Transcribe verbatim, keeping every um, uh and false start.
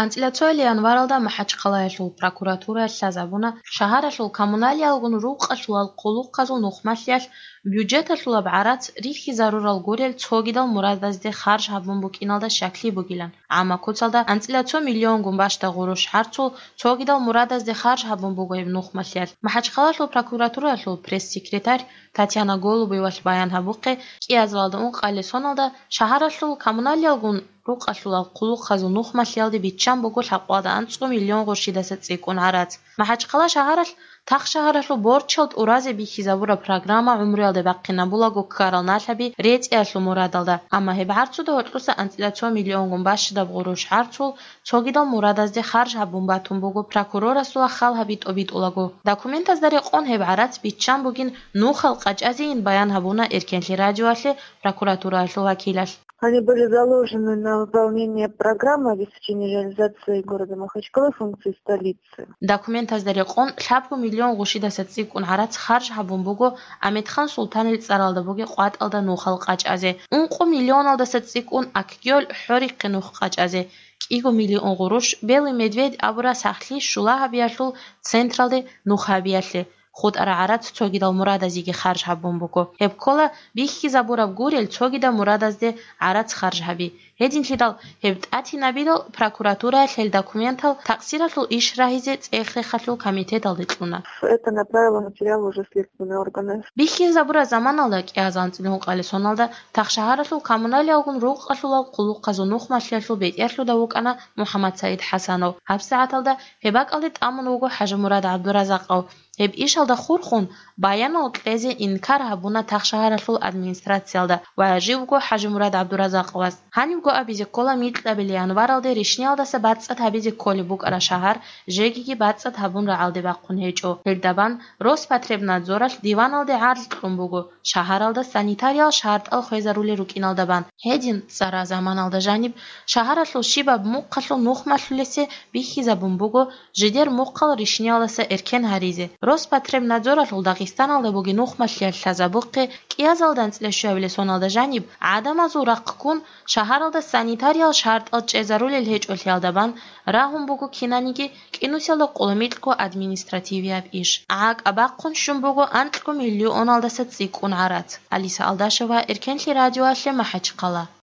АнцӀила цоял январалда МахӀачхъалаялъул прокуратураялъ лъазабуна шагьаралъул коммуналиялгун рукъалъулал хъулухъазул нухмалъиялъ бюджеталъулаб гӀарац рихьизарурал гурел цогидал мурадазде харж гьабун букӀиналда щаклъи бугилан. ГӀамма куцалда анцӀила цо миллионгун бащда гъурущ гӀарцул цогидал мурадазде харж гьабун буго гьеб нухмалъиялъ. МахӀачхъалалъул прокуратураялъул пресс-секретарь Татьяна Голубевалъ баян гьабухъе, кӀиазалда ункъабилеб соналда шагьаралъул коммуналиялгун рукъалъулал хъулухъазул нухмалъиялде биччан буго лъабкъоялда анцӀго миллион гъурщидаса цӀикӀкӀун гӀарац. МахӀачхъала шагьаралъ тахшагьаралъул борчал тӀуразе бихьизабураб программа гӀумруялде бахъинабулаго ккарал налъаби рецӀиялъул мурадалда, амма гьеб гӀарцуда гьоркьоса анцӀила цо миллионгун бащдаб гъурущ гӀарцул цогидал мурадазде харж гьабун батун буго прокурорасул хал гьаби тӀобитӀулаго. Документазда рекъон гьеб гӀарац биччан бугин нухал къачӀазейин баян гьабуна Эркенлъи радиоялъе прокуратураялъул вакилалъ. Они были заложены на выполнение программы обеспечения реализации города Махачкалы функции столицы. Документазда рекъон лъабго миллион гъурщидаса цӀикӀкӀун гӀарац харж гьабун буго Амедхан Султанил цӀаралда бугеб къватӀалда нухал къачӀазе, ункъо миллионалдаса цӀикӀкӀун Акгёл хӀорихъе нух къачӀазе, кӀиго миллион гъурущ Белый медведь абураб сахлъи щула гьабиялъул централде нух гьабиялъе, хутӀараб гӀарац цогидал мурадазеги харж гьабун буго. Гьеб ккола бихьизабураб гурел цогидал мурадазде гӀарац харж гьаби. Гьединлъидал гьеб тӀатинабидал прокуратураялъ гьел документал такъсиралъул иш рагьизе цӀех-рехалъул комитеталде кьуна. Это направило материал уже в следственные органы. Бихьизабураб заманалда кӀиазалда анцӀила ункъабилеб соналда тахшагьаралъул коммуналиялгун рукъалъулал хъулухъазул нухмалъиялъул бетӀерлъуда вукӀана МухӀаммад СагӀид ХӀасанов. ГьабсагӀаталда гьеб бакӀалде тӀамун вуго ХӀажимурад ГӀабдуразакъов. Гьеб ишалда хурхун, баянал кьезе инкар гьабуна тахшагьаралъул администрациялда ва живго ХӀажимурад ГӀабдуразакъовас. Гьанибго абизе ккола, микьабилеб январалде ришниялдаса бацӀцӀад гьабизе кколеб букӀараб шагьар жегиги бацӀцӀад гьабун рагӀалде бахъун гьечӀо. Гьелда бан Роспотребнадзоралъ диваналде гӀарз кьун буго, шагьаралда санитариял шартӀал хвезарулел рукӀиналда бан. Гьедин, цӀараб заманалда жаниб шагьаралъул щибаб мухъалъул нухмалъулесе бихьизабун буго жидер мухъал ришниялдаса эркен гьаризе. Роспотребнадзоралъул Дагъистаналда бугеб нухмалъиялъ лъазабухъе, кӀиазалда анцӀила щуабилеб соналда жаниб гӀадамазул рахъ ккун, шагьаралда санитариял шартӀал чӀезарулел гьечӀолъиялда бан рагьун буго кинаниги кӀинусиялда къулумикьго административияб иш. ГӀакӀ абахъун щун буго анкьго миллионалдаса цӀикӀкӀун гӀарац. Алиса Алдашева, Эркенлъи радиоялъе, МахӀачхъала.